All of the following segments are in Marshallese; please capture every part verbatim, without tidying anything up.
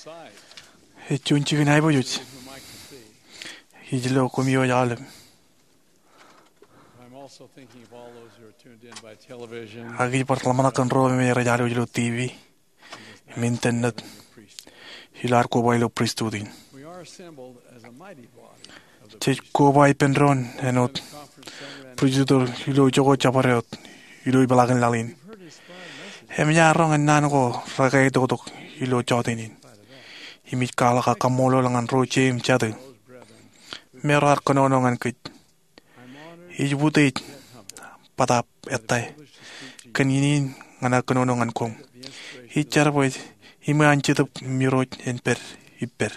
Ej juon jikin aiboojoj ij lo koṃ iwōj aolep. I'm also thinking of all those who are tuned in by television. Ak ij bar ḷōmṇak kōn ro me rej alwōj ilo T V im internet ilo ad koba ilo pristut in. We are assembled as a mighty body of the Jej koba ippān doon āinwōt pristut ilo ijoko jabdewōt ilo ipeḷaakin laḷ in. Eṃōj aō roñ ñan naan ko rekāāl toktok ilo jota in. Im ij kwaḷọk aō kaṃṃoolol ñan ro jeiū im jatū me raar kōnono ñan kōj. Ij utiej bōtaab ettā kōn iien in ñan aō kōnono ñan koṃ. Ij jar bwe iṃaan Jetōb im Irooj en pād ippād.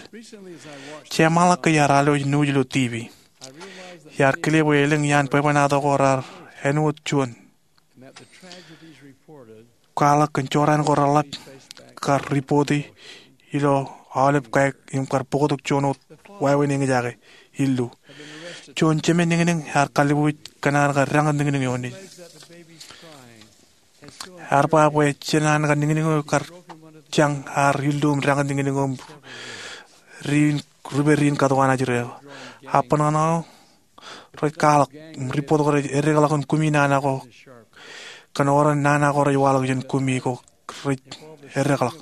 Jeṃḷọk ke iar alwōj nuuj ilo T V, iar kile bwe elōñ iaan bwebwenato ko raar āinwōt juon kwaḷọk kōn jorrāān ko reḷap kar ripoti ilo aolep kaik im kar bōktok juon wōt wāween eñjake illu. Juon jemān niñniñ ear kallibuuj kōn an kar dañōt niñniñ eo nejin. Ear ba bwe jān an kar niñniñ eo kar jañ ear illu im dañōt niñniñ eo im riin, ri pād riin katuka an ajri eo. Ak bōtaab rej kwaḷọk im ripoti ko rej eddekḷọk kōn kumi nana ko kōn oran nana ko rej waḷọk jān kumi ko rej eddekḷọk.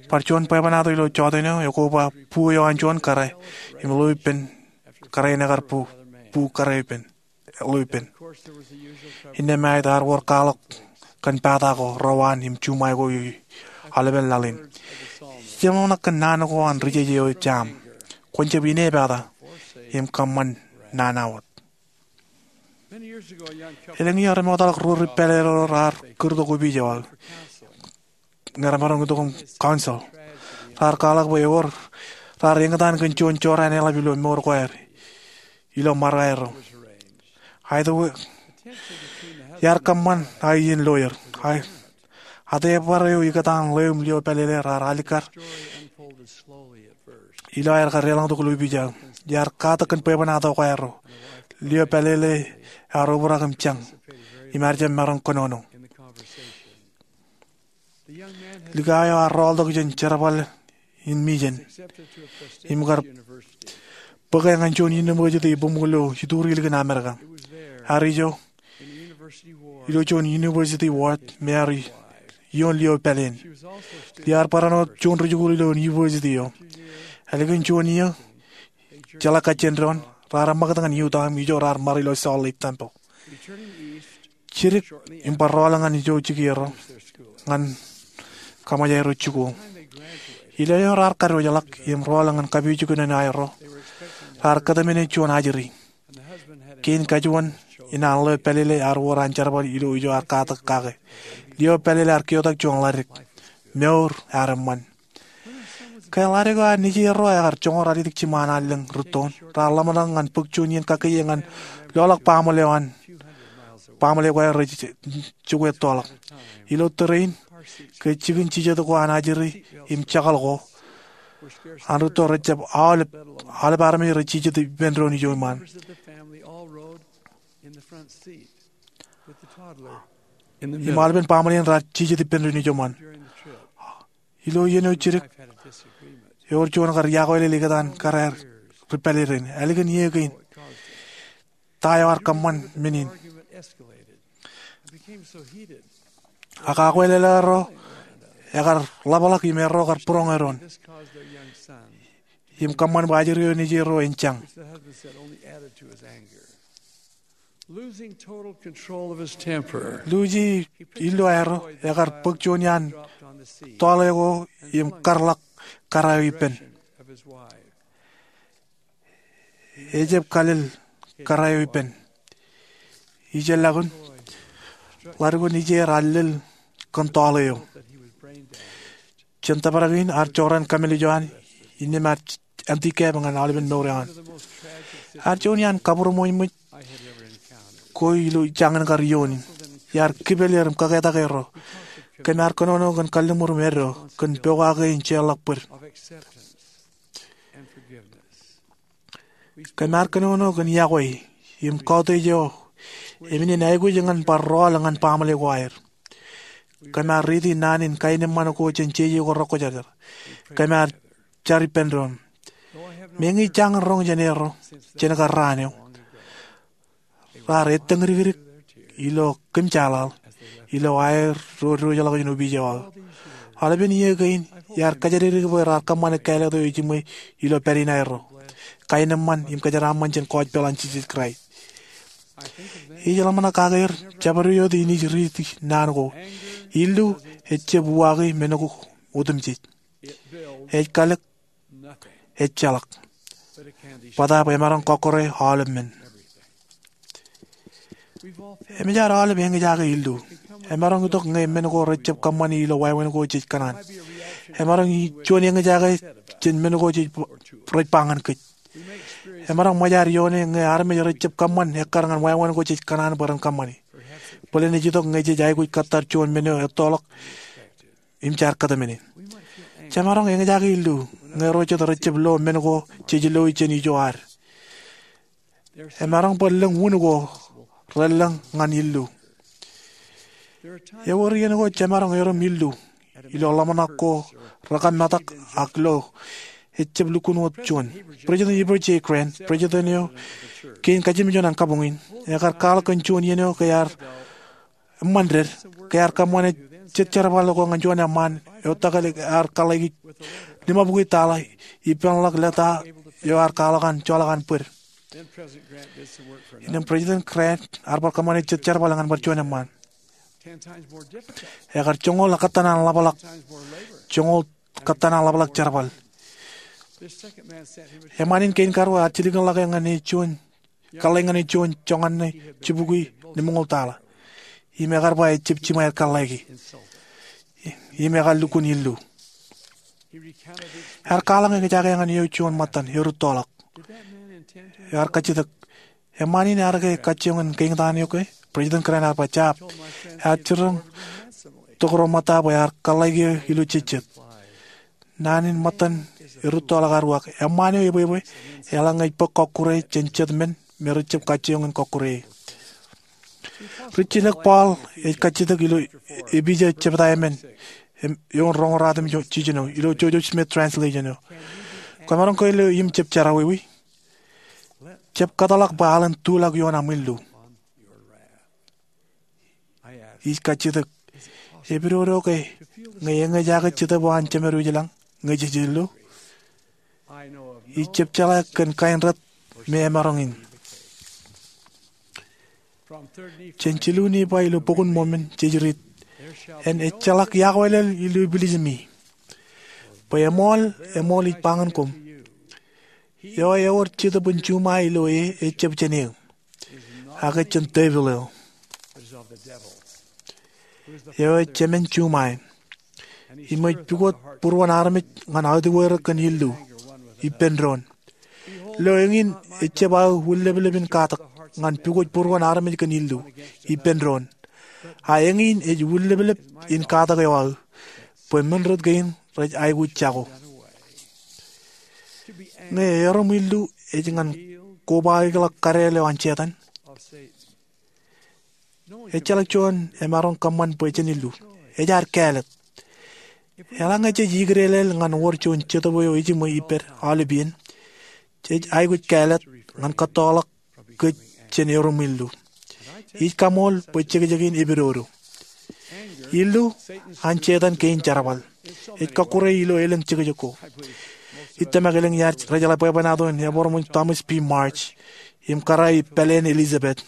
Bar juon bwebwenato ilo jota in eo ekoba bu eo an juon kōrā im ḷeo ippān kōrā in ekar bu, bu kōrā ippān, ḷeo ippān. Innām āinwōt ear wōr kwaḷọk kōn pata ko, rewaan im juṃae ko ilo aolepen laḷ in. Jeṃḷọk kōn naan ko an ri jeje eo jaaṃ. Kwōn jab inepata im kōṃṃan nana wōt. Elōñ iiō remootḷọk ruo ri pālele ro raar kūrtok opiij eo aō ñe remaroñ itok im counsel. Raar kwaḷọk bwe ewōr raar eñtaan kōn juon jorrāān eḷap ilo mour ko aer ilo ṃarok aerro. Aet, iar kōṃṃan aō iien lawyer. Aet, atebar eo ikōtaan ḷeo im lio pālele raar alikkar ilo aer kar deḷọñtok ilo opiij aō. Iar katak kōn bwebwenato ko aerro. Lio pālele ear obrak im jañ im ear jab maroñ kōnono. Likao eo ear rọọltok jān jerbal in Mijen im kar bōke ñan juon university bōṃ ilo ituri ilikin Amerika. Ear ijo ilo juon university ward me ear ioon lio pāleen. Lio ear barāinwōt juon ri jikuuḷ ilo university eo. Ālikin juon iiō, jeḷā kajjien doon, raar ṃakūt ñan Utah im ijo raar ṃare ilo Salt Lake Temple. Jidik im bar rọọl ñan ijo jikier ro ñan kaṃōj aerro jikuuḷ. Ilo eo raar kadiwōjḷọk im rọọl ñan kapijuknen aerro, raar kōtmāne juon ajri. Kein kajuon in an ḷeo pālele ear wōr an jerbal ilo ijo ear katak kake. Lio pālele ear keotak juon ḷadik. Mour ear eṃṃan. Ke ḷadik eo an nejier ro ekar joñoul ralitōk jiṃṃa an allōñ rūttoon, raar ḷōmṇak ñan bōk juon iien kakkiiō ñan loḷọk baaṃle eo an baaṃle ko aer rej jokwe ettoḷọk. Ilo tōre in, ke jikin jijet ko an ajri im jakḷọk ko an rūtto rej jab aolep, aolep armej rej jijet ippān doon ijo iṃaan. Im aolepen baaṃle in raar jijet ippān doon ijo iṃaan. Ilo iien eo jidik, ewōr juon kar iakweilel ikōtaan kōrā ri pālele in. Ālikin iiō kein, ta eo ear kōṃṃan men in? Ak akweilel eo erro ekar ḷapḷọk im erro kar būroñe doon im kōṃṃan bwe ajri eo nejier ro en jañ. Lucy, illu aerro, ekar bōk juon iaan tọọle ko im karḷọk kōrā eo ippān. Ejab kalel kōrā eo ippān. Ijellọkun, ḷadik ko nejier ear lel kōn tọọle eo. Jān tōprak in ear jorrāān kamālij eo an, innām ear handicap ñan aolepen mour eo an. Ear juon iaan kabūroṃōjṃōj ko ilo jañin kar iioon in. Iar kipel er im kaketak erro. Kōm ar kōnono kōn kalliṃur im eddo kōn pokake in jeorḷọk bōd. Kōm ar kōnono kōn iọkwe im kautiej eo emān in aikuj ñan bar rọọl ñan baaṃle ko aer. Kōm ar riiti naan in kaenōṃṃan ko jān jeje ko rekwōjarjar. Kōm ar jar ippān doon. Meñe jañin roñ jān erro jān kar raan eo, raar ettōñdikdik ilo kōmjaaḷaḷ ilo aer ro diwōjḷọk jān opiij eo aō. Aolepen iiō kein iar kōjatdikdik bwe raar kōṃṃane kāālōt eo ejiṃwe ilo pād in aerro, kaenōṃṃan im kōjeraaṃṃan jān gospel an Jisōs Kraist. Ij ḷōmṇak kake er jabdewōt in ij riiti naan ko. Illu ejjab uwaake men ko otemjej. Ej kalōk, ejjeḷọk. Bōtaab emaroñ kọkkure aolep men. Eṃōj ad aolep eñjake illu. Emaroñ itok ñe men ko rejjab kōṃṃani ilo wāween ko jej kōṇaan. Emaroñ juon eñjake jān men ko jej, rej ba ñan kōj. Emaroñ ṃōj ad ioone ñe armej rejjab kōṃṃan ekkar ñan wāween ko jej kōṇaan bwe ren kōṃṃani. Bōlen ej itok ñe jej aikuj kōttar juon men eo ettoḷọk im jaar kōtmāne. Jemaroñ eñjake illu ñe ro jet rejjab lo men ko jej loi jān ijo ad. Emaroñ bwe lōñ wūn ko relōñ ñan illu. Ewōr iien ko jemaroñ erom illu ilo ḷōmṇak ko rekōmetak ak lo ejjab lukkuun wōt juon. President Heber J. Grant, president eo kein kajimjuon an kabuñ in, ekar kwaḷọk kōn juon iien eo ke ear eṃṃan ded, ke ear kōṃṃane jet jerbal ko ñan juon eṃṃaan eo etokālik ear kōḷḷāiki limabukwi tala ippānḷọk leta eo ear kwaḷọk an joḷọk an bōd. Innām President Grant ear bar kōṃṃane jet jerbal ñan bar juon eṃṃaan. Ekar joñoul kōttan an ḷapḷọk, joñoul kōttan an ḷapḷọk jerbal. Eṃṃaan in kein karuo ear jilkinḷọk ñan e juon kōḷḷāik ñan e juon joñan ṇe jibukwi limñoul tala. Im ekar ba ejjab jiṃa aer kōḷḷāiki. Im ekar lukkuun illu. Ear kwaḷọk eñjake ñan eo juon ṃōttan erūttoḷọk. Ear kajjitōk, eṃṃaan in ear ke kajjioñ in keeñtaan eok e? President Grant ear ba jab. Ear jiroñ tokro ṃōtta bwe ear kōḷḷāiki eō ilo jejjet. Naan in ṃōttan erūttoḷọk ear uwaak, eṃṃaan eo ebwebwe eḷaññe ej bōk kọkkure jān jet men me rejjab kajjioñ in kọkkure e. Rijjilōk Paul ej kajjitōk ilo epija jebta emān eo in Roñoul ruatimjuon eo ilo Joseph Smith translation eo. Kwōmaroñ ke lo im jab jerọwiwi? Jab kōtḷọk bwe aḷ in tuḷọk ioon aṃ illu. Ij kajjitōk, epidodo ke ñe eñjake Jetōb eo an Jemedwōj ilañ ñe jej illu? Ij jab jeḷā kōn kain rot me emaroñ in. Jān jilu Nifai ilo Bok in Mōmon jej riit, en ejjeḷọk iọkwe lel ilo ipilijimi, bwe eṃool, eṃool ij ba ñan koṃ, eo ewōr Jetōb in juṃae ilo e ejjab jān eō, ak ej jān devil eo, eo ej jemān juṃae, im ej pukot būruon armej ñan autiwōjrak kōn illu ippān doon. Lo, eñin ejjab aō wūnleplep in katak ñan pukot būruon armej kōn illu ippān doon. A eñin ej wūnleplep in katak eo aō, bwe men rot kein rej aikuj jako. Ñe erom illu ej ñan kobaikḷọk kadeel eo an Setan. Ejjeḷọk juon emaroñ kōṃṃan bwe jen illu. Ej ad kāālōt. Eḷaññe jej ikdeḷeḷ ñan wōr juon Jetōb eo ejiṃwe ippād aolep iien, jej aikuj kāālōt ñan kōttoḷọk kōj jān erom illu. Ij kaṃool bwe jekjek in epidodo. Illu an Setan kein jerbal. Ej kọkkure ilo elōñ jekjek ko. Ij tōmak elōñ iaad rejeḷā bwebwenato in Ebroṃōj Thomas B. Marsh im kōrā ipāleen Elizabeth.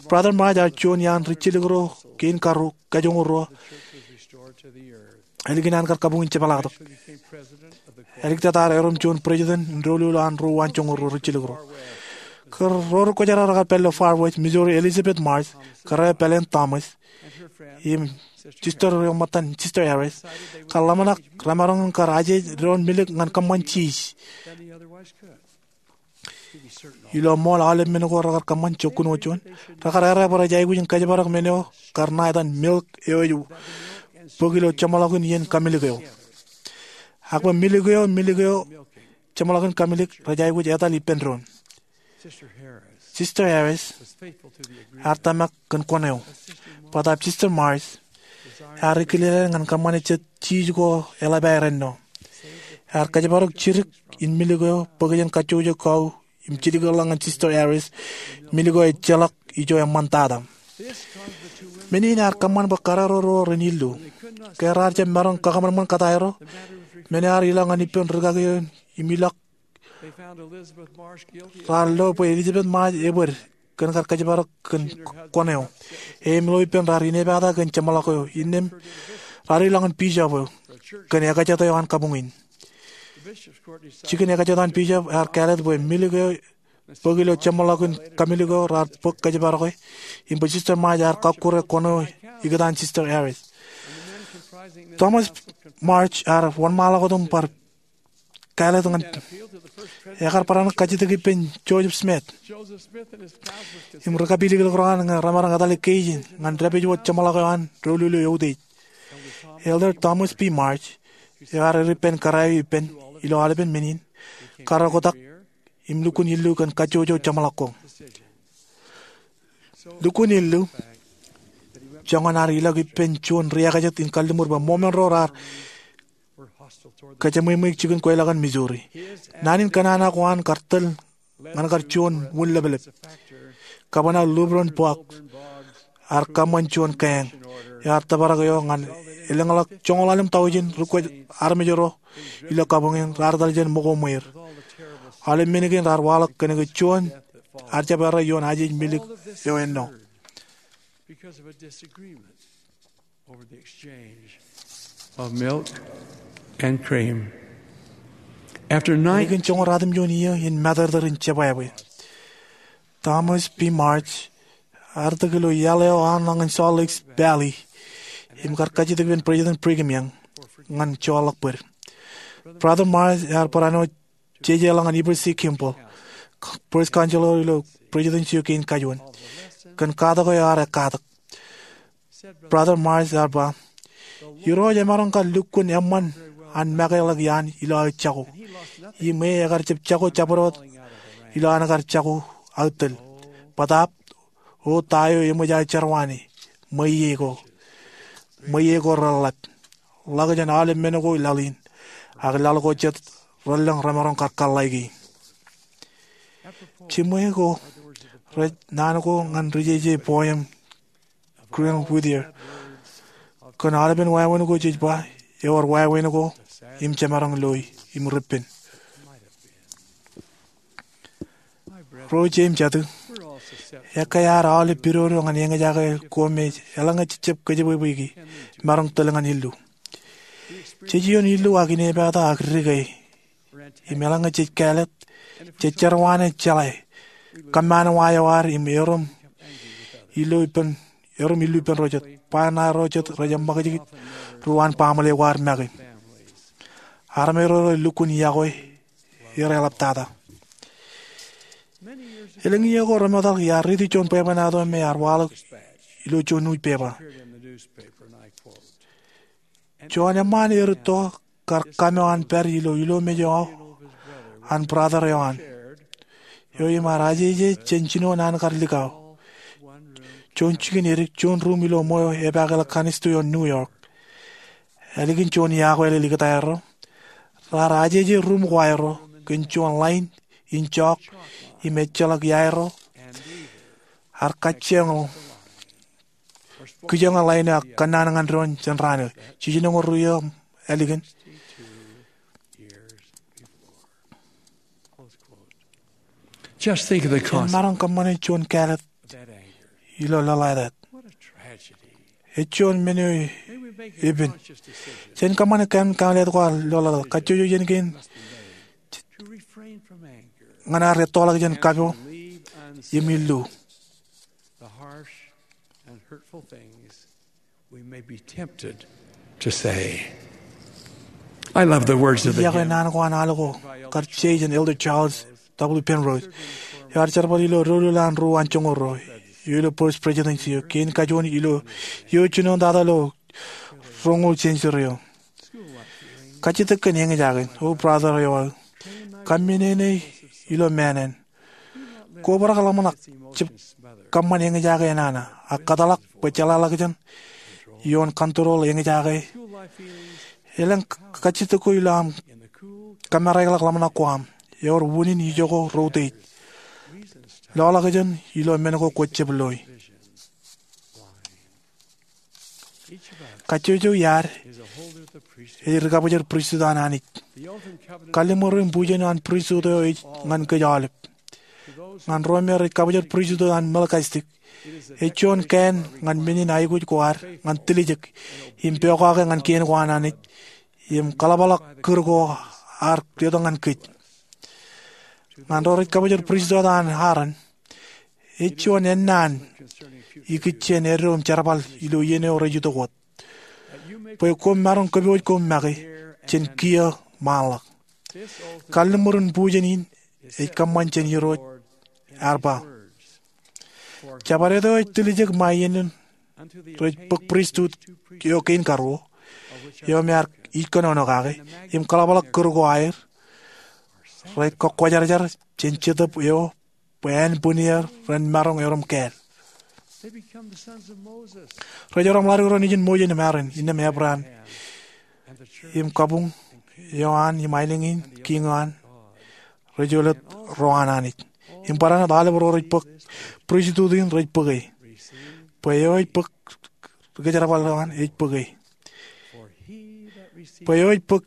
Brother Marsh ear juon iaan rijjilōk ro kein karuo kajoñoul ruo ālikin an kar kabuñ in jepḷaaktok. Āliktata ear erom juon president in doulul an ro uwaan joñoul ruo rijjilōk ro. Kōn ro ri kwōjarjar rekar pād ilo Far West, Missouri, Elizabeth Marsh, kōrā ipāleen Thomas, im sister eo ṃōttan, Sister Harris, kar ḷōmṇak remaroñ in kar aje doon milk ñan kōṃṃan cheese. Ilo ṃool aolep men ko rekar kōṃṃan, jokkun wōt juon, rekar errā bwe rej aikuj in kōjparok men eo kar ṇa etan milk eo ej bōk ilo jeṃḷọkin iien kamilōk eo. Ak bwe milk eo, milk eo jeṃḷọkin kamilōk rej aikuj etal ippān doon. Sister Harris ear tōmak kōn kuṇ eo. Bōtaab Sister Marsh ear ikilelāāl ñan kōṃṃane jet cheese ko eḷap aer ennọ. ear kōjparok jidik in milik eo bōk jān kajjojo kau im jidikḷọk ñan Sister Harris. Milik eo ejjeḷọk ijo eṃṃantata. Men in ear kōṃṃan bwe karreoreor ren illu. Ke raar jab maroñ kakōṃanṃan kōtaerro, men eo ear ilọk ñan ippān rūkaki eo im ilọk raar lo bwe Elizabeth Marsh ebōd kōn kar kōjparok kōn kwōn eo. E im lo ippān raar inepata kōn jeṃḷọk eo innām raar ilọk ñan bishop eo kōn ekajet eo an kabuñ in. Jikin ekajet an bishop ear kāālōt bwe milik eo bōk ilo jeṃḷọkin kamilik eo raar bōk kōjparoke im bwe Sister Marsh ear kọkkure kwōn eo ikōtaan Sister Harris. Thomas Marsh ear wōnṃaanḷọk wōt im bar kāālōt ñan, ekar barāinwōt kajjitōk ippān Joseph Smith im ri kapilōklōk ro an ñe remaroñ etale keij in ñan dāpij wōt jeṃḷọk eo an doulul eo eutiej. Elder Thomas B. Marsh eo ear eddōb ippān kōrā eo ippān ilo aolepen men in, kar oktak im lukkuun illu kōn kajjojo jeṃḷọk ko. Lukkuun illu, joñan ear ilọk ippān juon ri-ekajet in kalliṃur bwe ṃōṃan ro raar kōjeṃweṃweik jikin kweilọk in Missouri. Naan in kōnono ko an kar tōl ñan kar juon wūnlōplōp. Governor Lilburn Boggs ear kōṃṃan juon kaeñ eo ear tōprak eo ñan elōñḷọk joñoul ḷalem taujin ri-kwōj armej ro ilo kabuñ in raar etal jān ṃōko ṃweir. Aolep men kein raar waḷọk kōnke juon ear jab errā ioon ajej milik eo ennọ. Ālikin joñoul ratimjuon iiō in matōrtōr in jebwābwe, Thomas B. Marsh ear itok ilo iaḷ eo aoṇañ in Salt Lake Valley im kar kajjitōk ippān President Brigham Young ñan joorḷọk bōd. Brother Marsh ear barāinwōt jejeḷọk ñan Heber C. Kimball, First Counselor ilo Presidency eo kein kajuon, kōn katak eo ear ekkatak. Brother Marsh ear ba, Irooj emaroñ kar lukkuun eṃṃan an make ḷọk iaan ilo aō jako, im e ekar jab jako jabdewōt ilo an kar jako aō tōl. Bōtaab, O ta eo eṃōj aō jerwāne? Ṃweiie ko. Ṃweiie ko reḷḷap. Ḷak jān aolep men ko laḷ in, ak laḷ ko jet relōñ remaroñ kar kōḷḷāiki. Jiṃwe ko rej naan ko ñan rijeje poem Green Whittier, kōn aolepen wāween ko jej ba ewōr wāween ko im jemaroñ loi im rippen. Ro ije im jatū, ekkā ad aolep pidodo ñan eñjake ko me eḷaññe jej jab kōjepwepweki, maroñ tōl ñan illu. Jej ioon illu ak inepata ak dike, im eḷaññe jej kāālōt, jej jerwāne jeḷā kōmmaanwa eo ad im erom illu ippān ro jet, ba ṇa ro jet rej eṃṃakijkij ri-waan baaṃle ko ad make. Armej ro rej lukkuun yokwe, ereḷaptata. Elōñ iiō ko remootḷọk iar riiti juon bwebwenato me ear waḷọk ilo juon newspaper. Juon eṃṃaan erūtto kar kōṃṃan pād ilo ilomej eo an brother eo an, eo im ear ajeje jān jinoin an kar likao, juon jikin edik, juon ruum ilo ṃweo epaakḷọk kannisto eo an New York. Ālikin juon iaakwāālel ikōtaerro, raar ajeje ruum ko aerro kōn juon ḷain in jook im ejjeḷọk iaerro, ear kajjioñ kijoñe ḷain eo ak kōnnaan ñan doon jān raan eo. Jiljinoñoul ruo iiō ālikin, Just think of the jen consequence. Maroñ kōṃṃane juon kāālōt ilo lōḷātāt. Ej juon men eo epen. Jen kōṃṃane kain kaālōt ko aer lōḷātāt. Kajjojo iien kein ñan ad ettoḷọk jān kapo im illu. The harsh and hurtful things we may be tempted to say. I love the words of the hymn. Iiō ke naan ko an al ko kar je jān Elder Charles W. Penrose, eo ear jerbal ilo doulul an ruo an joñoul ruo eo ilo First Presidency eo kein kajuon ilo iiō jinoin tata ilo roñoul century eo. Kajjitōk kōn eñjake, O brother eo aō. Kōmmeneene ilo māāṇāṇ. Kobrak ḷōmṇak jab kōṃṃan eñjake enana, ak kōtḷọk bwe jeḷāḷọkjeṇ ioon control eñjake. Elōñ kajjitōk ko ilo aṃ Kōmāreḷọk ḷōmṇak ko aṃ. Ewōr unin ijoko ro utiej. Loḷọkjeṇ ilo men ko kwōj jab loi. Kajjojo iaad ej ri-kabōjor pristut an Anij. Kalliṃur im bujen an pristut eo ej ñan kōj aolep. Ñan ro me rej kabōjor pristut an Melkizedek, ej juon kain ñan men in aikuj ko ad ñan tiljek im pokake ñan kien ko an Anij im kaḷapḷọk kūr ko ear letok ñan kōj. Ñan ro rej kabōjor pristut an Aaron, ej juon ennaan ikijjien eddo im jerbal ilo iien eo rej itok wōt, bwe koṃ maroñ kōpooj koṃ make jān kiiō ṃaanḷọk. Kalliṃur in bujen in ej kōṃṃan jān Irooj ear ba, Jabdewōt eo ej tiljek ṃae iien in rej bōk pristut eo kein karuo, eo me ear ij kōnono kake, im kaḷapḷọk kūr ko aer, rej kōkkwōjarjar jān Jetōb eo bwe ānbwinnier ren maroñ erom kāāl. Rej erom ḷaddik ro nejin Moses im Aaron, innām Abraham, im kabuñ eo an im aelōñ in kiiñ eo an, rej olep ro an Anij. Im barāinwōt aolep ro rej bōk pristut in rej bōke. Bwe eo ej bōk ri-kōjerbal eo an ej bōke. Bwe eo ej bōk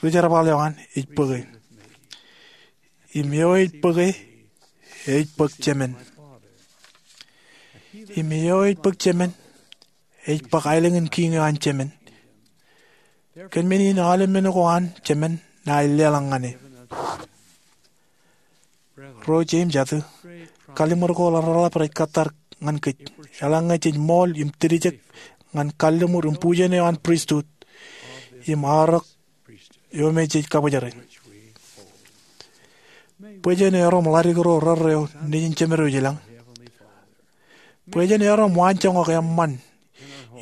ri-kōjerbal eo an ej bōke. Im eo ej bōke ej bōk Jemān. Im eo ej bōk Jemān ej bōk aelōñ in kiiñ eo an Jemān. Kōn men in aolep men ko an Jemān ṇae ej leḷọk ñan e. Ro jeiū im jatū, kalliṃur ko ḷōḷḷap rej kōttar ñan kōj eḷaññe jej ṃool im tiljek ñan kalliṃur im bujen eo an pristut im aorōk eo me jej kabōjere. Bwe jen erom ḷaddik ro rerreo nejin Jemedwōj ilañ. Bwe jen erom waanjoñak eṃṃan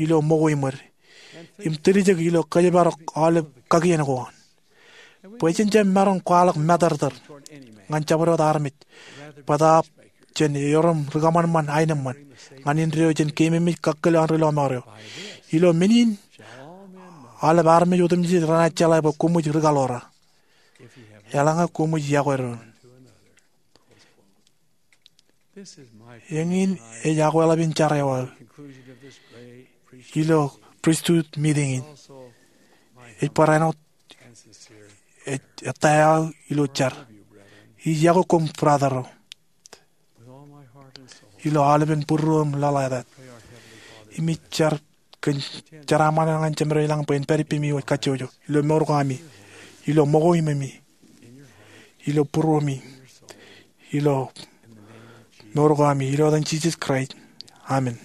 ilo ṃōko iṃōd im tiljek ilo kōjparok aolep kakien ko an. Bwe jen jab maroñ kwaḷọk matōrtōr ñan jabdewōt armej, bōtaab jen erom ri-kōṃanṃan aenōṃṃan ñan indeeo jān keememej kakkōl an ri lọmọọr eo. Ilo men in aolep armej otemjej renaaj jeḷā bwe koṃij ri-kaḷoor, eḷaññe koṃij yokwe doon. Eñin ej akweḷap in jar eo aō ilo pristut meeting in. Ej barāinwōt ettā eo aō ilo jar. Ij yokwe koṃ brother ro ilo aolepen būruō im lōḷātāt. Im ij jar kōn jeraaṃṃan eo ñan Jemedwōj ilañ bwe en pād ippemi wōj kajjojo ilo mour ko ami, ilo ṃōko iṃōmi, ilo būruōmi, ilo mour ko ami, ilo etan Jisōs Kraist. Amen.